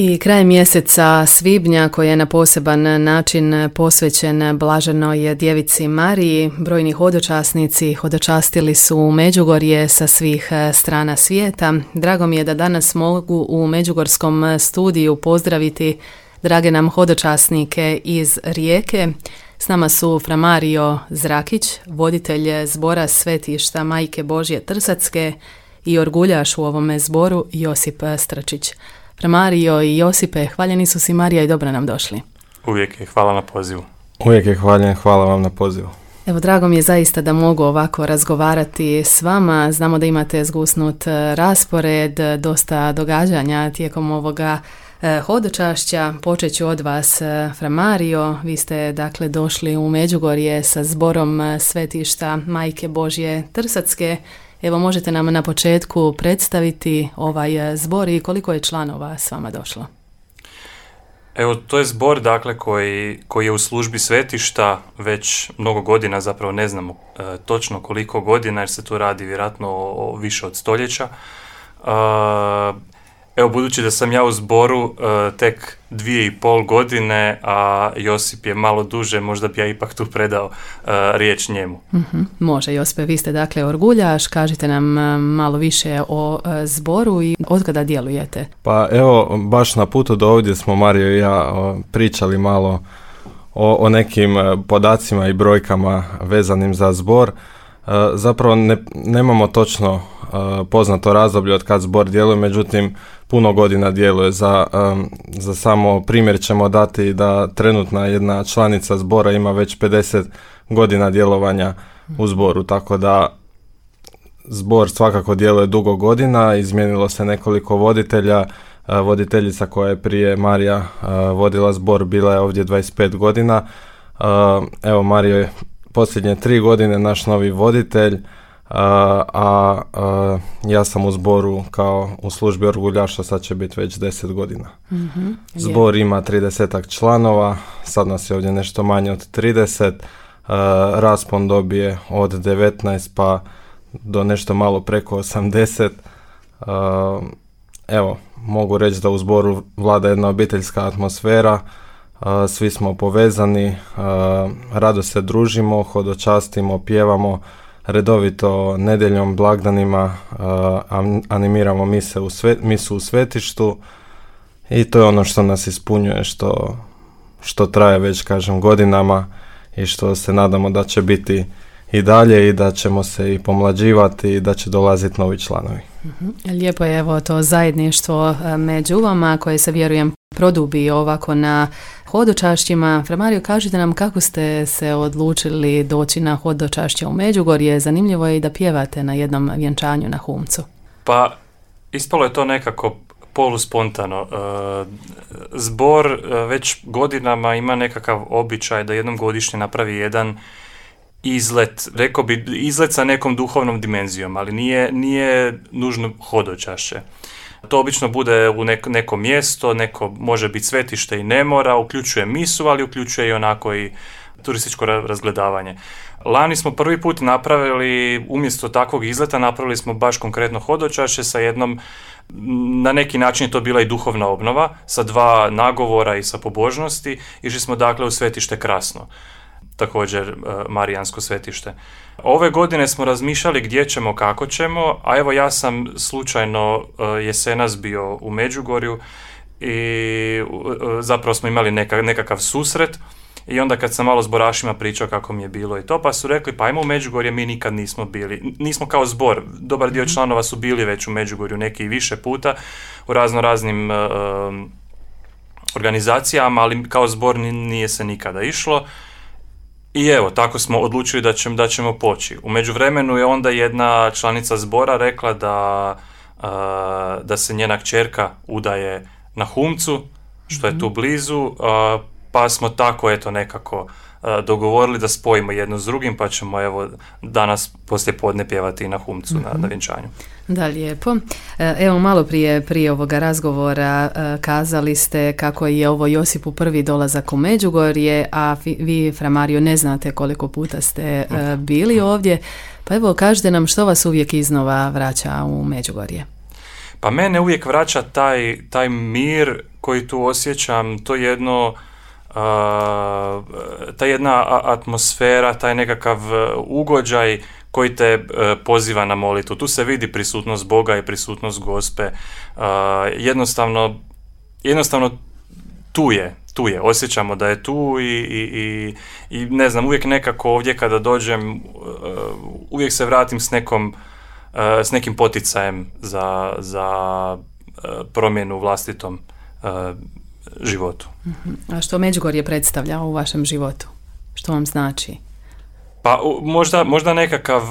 I kraj mjeseca svibnja koji je na poseban način posvećen Blaženoj djevici Mariji, brojni hodočasnici hodočastili su Međugorje sa svih strana svijeta. Drago mi je da danas mogu u Međugorskom studiju pozdraviti drage nam hodočasnike iz Rijeke. S nama su fra Mario Zrakić, voditelj zbora svetišta Majke Božje Trsatske, i orguljaš u ovome zboru Josip Stračić. Fra Mario i Josipe, hvaljeni su si Marija i dobro nam došli. Uvijek je hvala na pozivu. Uvijek je hvaljen, hvala vam na pozivu. Evo, drago mi je zaista da mogu ovako razgovarati s vama. Znamo da imate zgusnut raspored, dosta događanja tijekom ovoga hodočašća. Počet ću od vas, fra Mario. Vi ste dakle došli u Međugorje sa zborom svetišta Majke Božje Trsatske. Evo, možete nam na početku predstaviti ovaj zbor i koliko je članova s vama došlo? Evo, to je zbor dakle koji je u službi svetišta već mnogo godina, zapravo ne znamo točno koliko godina jer se tu radi vjerojatno o više od stoljeća. Evo, budući da sam ja u zboru tek 2,5 godine, a Josip je malo duže, možda bi ja ipak tu predao riječ njemu. Može, Josipe, vi ste dakle orguljaš, kažite nam malo više o zboru i od kada djelujete. Pa evo, baš na putu do ovdje smo Mario i ja pričali malo o nekim podacima i brojkama vezanim za zbor. Zapravo nemamo točno poznato razdoblje od kad zbor djeluje, međutim puno godina djeluje. Za samo primjer ćemo dati da trenutna jedna članica zbora ima već 50 godina djelovanja u zboru, tako da zbor svakako djeluje dugo godina. Izmijenilo se nekoliko voditelja. Voditeljica koja je prije Marija vodila zbor bila je ovdje 25 godina. Evo, Mario je posljednje 3 godine naš novi voditelj, a ja sam u zboru kao u službi orguljaša, sad će biti već 10 godina. Zbor ima 30 članova, sad nas je ovdje nešto manje od 30, raspon dobije od 19 pa do nešto malo preko 80. Evo, mogu reći da u zboru vlada jedna obiteljska atmosfera, svi smo povezani, rado se družimo, hodočastimo, pjevamo, redovito nedjeljom, blagdanima animiramo misu u svetištu i to je ono što nas ispunjuje, što traje već, kažem, godinama i što se nadamo da će biti i dalje i da ćemo se i pomlađivati i da će dolaziti novi članovi. Lijepo je evo to zajedništvo među vama koje se, vjerujem, produbi ovako na hodočašćima. Fra Mario, kažite nam kako ste se odlučili doći na hodočašće u Međugorje. Zanimljivo je i da pjevate na jednom vjenčanju na Humcu. Pa, ispalo je to nekako poluspontano. Zbor već godinama ima nekakav običaj da jednom godišnje napravi jedan izlet, rekao bi izlet sa nekom duhovnom dimenzijom, ali nije nužno hodočašće. To obično bude u neko mjesto, neko može biti svetište i ne mora, uključuje misu, ali uključuje i onako i turističko razgledavanje. Lani smo prvi put napravili, umjesto takvog izleta, napravili smo baš konkretno hodočašće sa jednom, na neki način je to bila i duhovna obnova, sa 2 nagovora i sa pobožnosti. Išli smo dakle u svetište Krasno, također marijansko svetište. Ove godine smo razmišljali gdje ćemo, kako ćemo, a evo ja sam slučajno jesenas bio u Međugorju i zapravo smo imali nekakav susret i onda kad sam malo s zborašima pričao kako mi je bilo i to, pa su rekli pa ajmo u Međugorje, mi nikad nismo bili. Nismo kao zbor, dobar dio članova su bili već u Međugorju, neki i više puta, u raznim organizacijama, ali kao zbor nije se nikada išlo. I evo, tako smo odlučili da ćemo poći. U međuvremenu je onda jedna članica zbora rekla da se njena kćerka udaje na Humcu, što je tu blizu, pa smo tako eto nekako dogovorili da spojimo jedno s drugim, pa ćemo evo danas poslije podne pjevati i na Humcu na vjenčanju. Da, lijepo. Evo, malo prije ovoga razgovora kazali ste kako je ovo Josipu prvi dolazak u Međugorje, a vi, fra Mario, ne znate koliko puta ste bili ovdje. Pa evo, kažite nam što vas uvijek iznova vraća u Međugorje. Pa mene uvijek vraća taj mir koji tu osjećam, to jedno, ta jedna atmosfera, taj nekakav ugođaj koji te poziva na molitvu. Tu se vidi prisutnost Boga i prisutnost Gospe. Jednostavno tu je, osjećamo da je tu i ne znam, uvijek nekako ovdje kada dođem, uvijek se vratim s nekim poticajem za promjenu u vlastitom životu. A što Međugorje predstavlja u vašem životu? Što vam znači? Pa možda nekakav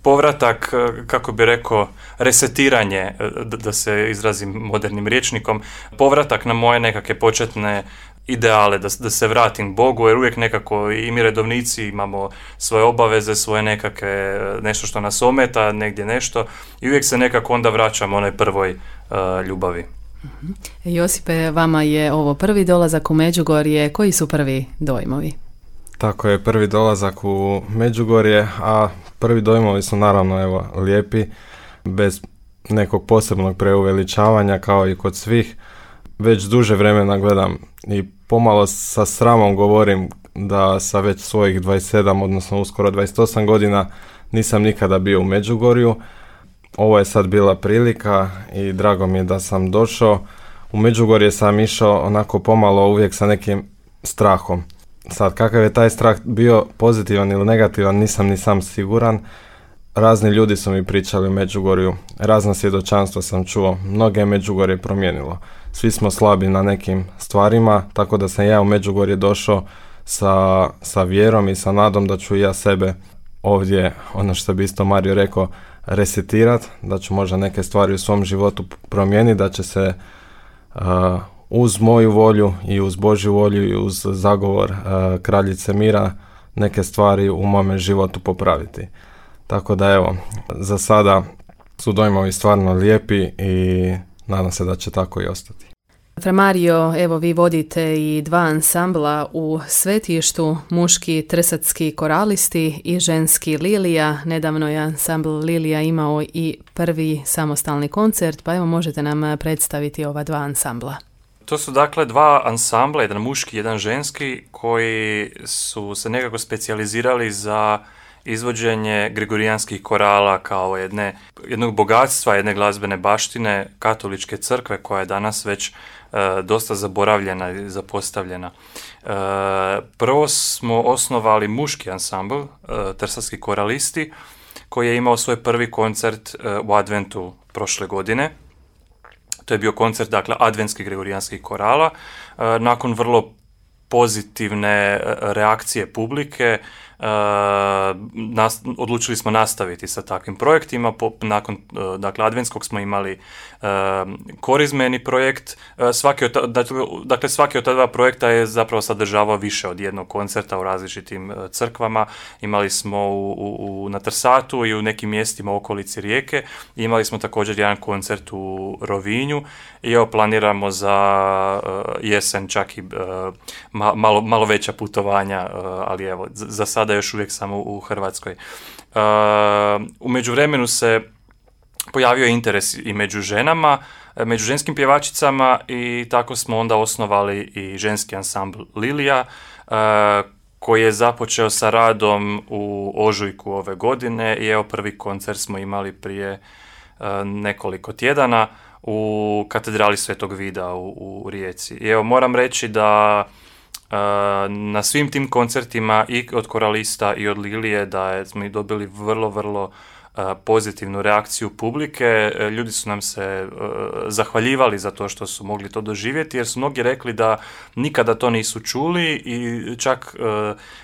povratak, kako bi rekao, resetiranje, da se izrazim modernim rječnikom, povratak na moje nekakve početne ideale, da se vratim Bogu, jer uvijek nekako i mi redovnici imamo svoje obaveze, svoje nekakve, nešto što nas ometa, negdje nešto, i uvijek se nekako onda vraćamo onoj prvoj ljubavi. Josipe, vama je ovo prvi dolazak u Međugorje, koji su prvi dojmovi? Tako je, prvi dolazak u Međugorje, a prvi dojmovi su naravno lijepi, bez nekog posebnog preuveličavanja kao i kod svih. Već duže vremena gledam i pomalo sa sramom govorim da sa već svojih 27, odnosno uskoro 28 godina nisam nikada bio u Međugorju. Ovo je sad bila prilika i drago mi je da sam došao. U Međugorje sam išao onako pomalo uvijek sa nekim strahom. Sad, kakav je taj strah bio, pozitivan ili negativan, nisam ni sam siguran. Razni ljudi su mi pričali u Međugorju, razna svjedočanstva sam čuo, mnoge je Međugorje promijenilo. Svi smo slabi na nekim stvarima, tako da sam ja u Međugorje došao sa vjerom i sa nadom da ću ja sebe ovdje, ono što bi isto Mario rekao, resetirat, da ću možda neke stvari u svom životu promijeniti, da će se uz moju volju i uz Božju volju i uz zagovor kraljice mira neke stvari u mome životu popraviti. Tako da evo, za sada su dojmovi stvarno lijepi i nadam se da će tako i ostati. Fra Mario, evo vi vodite i 2 ansambla u Svetištu, muški Trsatski koralisti i ženski Lilija. Nedavno je ansambl Lilija imao i prvi samostalni koncert, pa evo možete nam predstaviti ova 2 ansambla. To su dakle 2 ansambla, jedan muški, jedan ženski, koji su se nekako specijalizirali za izvođenje gregorijanskih korala kao jednog bogatstva, jedne glazbene baštine katoličke crkve koja je danas već dosta zaboravljena i zapostavljena. Prvo smo osnovali muški ansambl, Trsatski koralisti, koji je imao svoj prvi koncert u adventu prošle godine. To je bio koncert, dakle, adventskih gregorijanskih korala. Nakon vrlo pozitivne reakcije publike, odlučili smo nastaviti sa takvim projektima. Nakon adventskog smo imali korizmeni projekt. Svaki od ta 2 projekta je zapravo sadržavao više od jednog koncerta u različitim crkvama. Imali smo na Trsatu i u nekim mjestima u okolici Rijeke. Imali smo također jedan koncert u Rovinju i planiramo za jesen čak i malo veća putovanja, ali evo, za sada još uvijek samo u Hrvatskoj. U međuvremenu se pojavio interes i među ženama, među ženskim pjevačicama, i tako smo onda osnovali i ženski ansambl Lilija, koji je započeo sa radom u ožujku ove godine i evo prvi koncert smo imali prije nekoliko tjedana u katedrali Svetog Vida u Rijeci. I evo moram reći da na svim tim koncertima i od koralista i od Lilije da smo dobili vrlo, vrlo pozitivnu reakciju publike. Ljudi su nam se zahvaljivali za to što su mogli to doživjeti, jer su mnogi rekli da nikada to nisu čuli i čak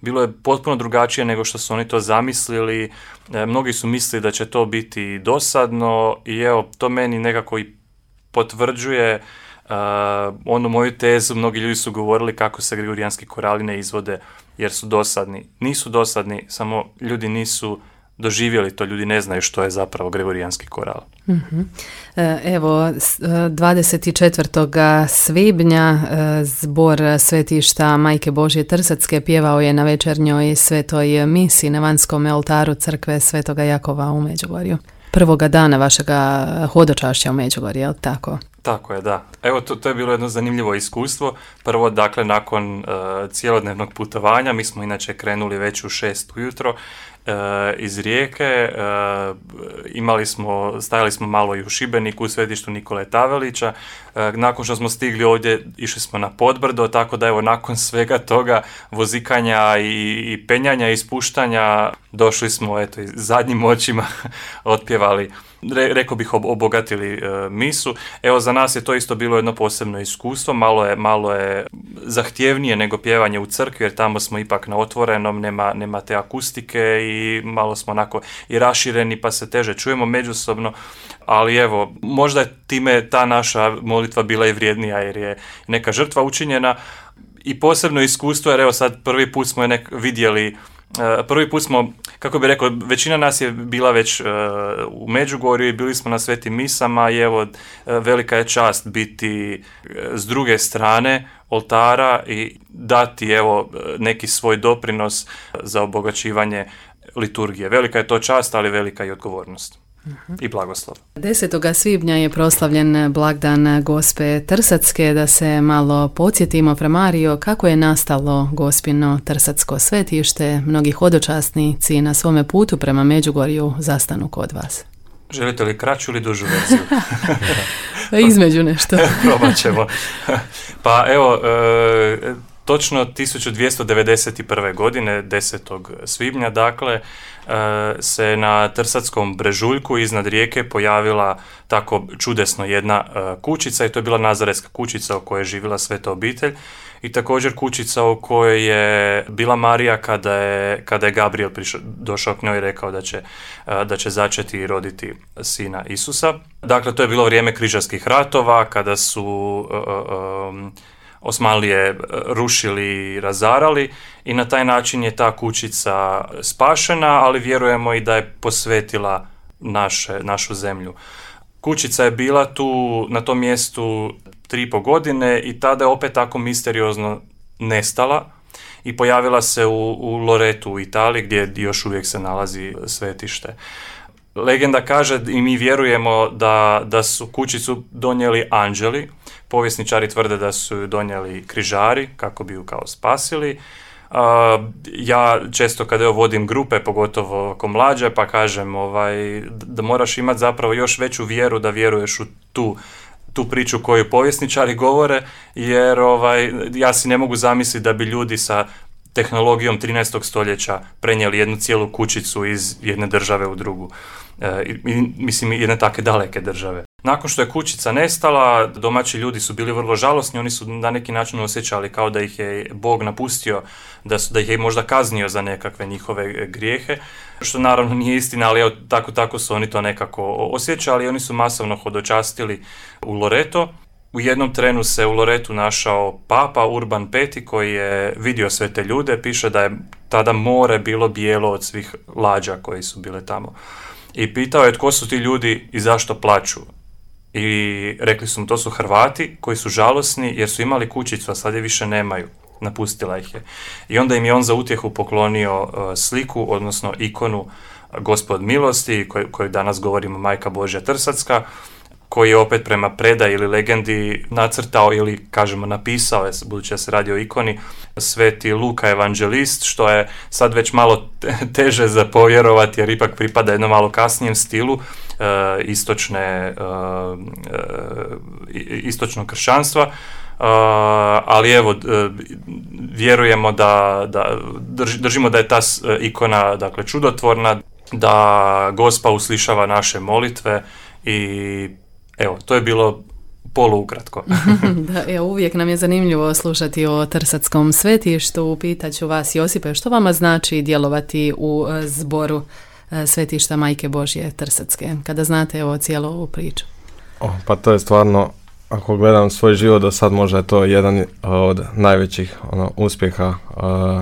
bilo je potpuno drugačije nego što su oni to zamislili. Mnogi su mislili da će to biti dosadno i evo, to meni nekako i potvrđuje onu moju tezu. Mnogi ljudi su govorili kako se gregorijanski korali ne izvode jer su dosadni. Nisu dosadni, samo ljudi nisu doživjeli to, ljudi ne znaju što je zapravo gregorijanski koral. Mm-hmm. Evo, 24. svibnja zbor Svetišta Majke Božje Trsatske pjevao je na večernjoj svetoj misi na vanjskom oltaru crkve Svetoga Jakova u Međugorju. Prvoga dana vašega hodočašća u Međugorju, je li tako? Tako je, da. Evo, to je bilo jedno zanimljivo iskustvo. Prvo, dakle, nakon cijelodnevnog putovanja, mi smo inače krenuli već u 6 ujutro iz Rijeke, stajali smo malo i u Šibeniku, u svetištu Nikole Tavelića. Nakon što smo stigli ovdje, išli smo na Podbrdo, tako da evo, nakon svega toga vozikanja i penjanja i spuštanja, došli smo, eto, zadnjim očima otpjevali, rekao bih, obogatili misu. Evo, za nas je to isto bilo jedno posebno iskustvo, malo je zahtjevnije nego pjevanje u crkvi, jer tamo smo ipak na otvorenom, nema te akustike i malo smo onako i rašireni, pa se teže čujemo međusobno, ali evo, možda je time ta naša molitva bila i vrijednija, jer je neka žrtva učinjena i posebno iskustvo, jer evo sad prvi put smo je vidjeli. Prvi put smo, kako bih rekao, većina nas je bila već u Međugorju i bili smo na svetim misama i evo, velika je čast biti s druge strane oltara i dati evo neki svoj doprinos za obogaćivanje liturgije. Velika je to čast, ali velika i odgovornost. I blagoslov. 10. svibnja je proslavljen blagdan Gospe Trsatske. Da se malo podsjetimo, fra Mario, kako je nastalo Gospino Trsatsko svetište. Mnogi hodočasnici na svome putu prema Međugorju zastanu kod vas. Želite li kraću ili dužu verziju? Između nešto. Probat ćemo. Pa evo, točno 1291. godine, 10. svibnja, dakle, se na Trsatskom brežuljku iznad rijeke pojavila tako čudesno jedna kućica i to je bila nazaretska kućica u kojoj je živjela sveta obitelj i također kućica u kojoj je bila Marija kada je Gabriel došao k njoj i rekao da će začeti i roditi sina Isusa. Dakle, to je bilo vrijeme križarskih ratova kada su Osmanlije rušili i razarali i na taj način je ta kućica spašena, ali vjerujemo i da je posvetila našu zemlju. Kućica je bila tu na tom mjestu 3,5 godine i tada je opet tako misteriozno nestala i pojavila se u Loretu u Italiji gdje još uvijek se nalazi svetište. Legenda kaže i mi vjerujemo da su kućicu donijeli anđeli. Povjesničari tvrde da su ju donijeli križari kako bi ju kao spasili. Ja često kada vodim grupe, pogotovo oko mlađe, pa kažem da moraš imati zapravo još veću vjeru da vjeruješ u tu priču koju povjesničari govore, jer ja si ne mogu zamisliti da bi ljudi sa tehnologijom 13. stoljeća prenijeli jednu cijelu kućicu iz jedne države u drugu. Mislim, jedne takve daleke države. Nakon što je kućica nestala, domaći ljudi su bili vrlo žalosni, oni su na neki način osjećali kao da ih je Bog napustio, da ih je možda kaznio za nekakve njihove grijehe, što naravno nije istina, ali tako su oni to nekako osjećali. Oni su masovno hodočastili u Loreto. U jednom trenu se u Loretu našao papa Urban V koji je vidio sve te ljude, piše da je tada more bilo bijelo od svih lađa koji su bile tamo. I pitao je tko su ti ljudi i zašto plaču. I rekli su mu to su Hrvati koji su žalosni jer su imali kućicu, a sad je više nemaju. Napustila ih je. I onda im je on za utjehu poklonio sliku, odnosno ikonu Gospod milosti, koju danas govorimo Majka Božja Trsatska, koji je opet prema predaji ili legendi nacrtao ili, kažemo, napisao, budući da se radi o ikoni, sveti Luka evanđelist, što je sad već malo teže za povjerovati, jer ipak pripada jednom malo kasnijem stilu istočnog kršćanstva, ali evo, vjerujemo držimo da je ta ikona, dakle, čudotvorna, da Gospa uslišava naše molitve i evo, to je bilo poluukratko. Da, uvijek nam je zanimljivo slušati o Trsatskom svetištu. Pitaću vas, Josipe, što vama znači djelovati u zboru svetišta Majke Božje Trsatske, kada znate cijelu ovu priču? Pa to je stvarno, ako gledam svoj život do sad, možda je to jedan od najvećih uspjeha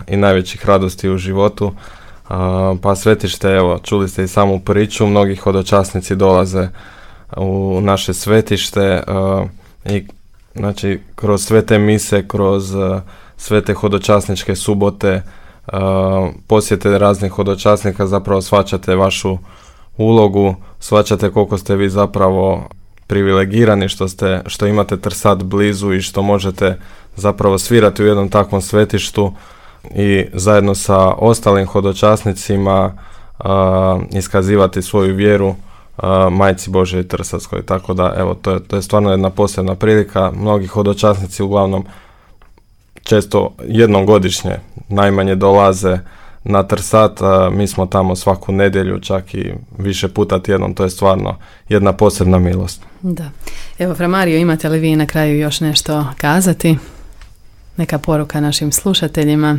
i najvećih radosti u životu. Pa svetište, evo, čuli ste i samu priču, mnogi hodočasnici dolaze u naše svetište i znači kroz sve te mise, kroz sve te hodočasničke subote, posjete raznih hodočasnika, zapravo shvaćate vašu ulogu, shvaćate koliko ste vi zapravo privilegirani što imate Trsat blizu i što možete zapravo svirati u jednom takvom svetištu i zajedno sa ostalim hodočasnicima iskazivati svoju vjeru Majci Božjoj Trsatskoj. Tako da, evo, to je stvarno jedna posebna prilika. Mnogi hodočasnici uglavnom često jednom godišnje najmanje dolaze na Trsat, mi smo tamo svaku nedjelju, čak i više puta tjednom, to je stvarno jedna posebna milost. Da. Evo, Fra Mario, imate li vi na kraju još nešto kazati? Neka poruka našim slušateljima?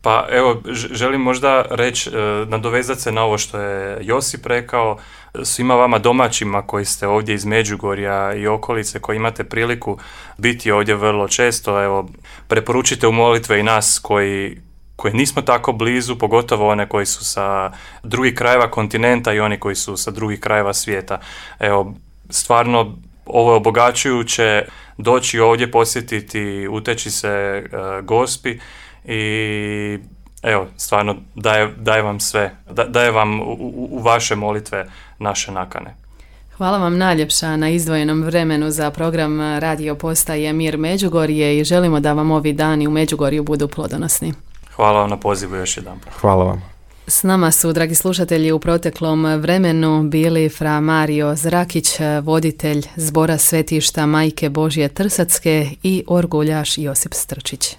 Pa evo, želim možda reći, nadovezati se na ovo što je Josip rekao, svima vama domaćima koji ste ovdje iz Međugorja i okolice, koji imate priliku biti ovdje vrlo često, evo, preporučite u molitve i nas koji nismo tako blizu, pogotovo one koji su sa drugih krajeva kontinenta i oni koji su sa drugih krajeva svijeta. Evo, stvarno ovo je obogaćujuće doći ovdje, posjetiti, uteći se Gospi i evo, stvarno daje vam sve, daje vam u vaše molitve naše nakane. Hvala vam najljepša na izdvojenom vremenu za program radio postaje Mir Međugorje i želimo da vam ovi dani u Međugorju budu plodonosni. Hvala vam na pozivu još jedan. Hvala vam. S nama su, dragi slušatelji, u proteklom vremenu bili Fra Mario Zrakić, voditelj Zbora svetišta Majke Božje Trsatske, i orguljaš Josip Strčić.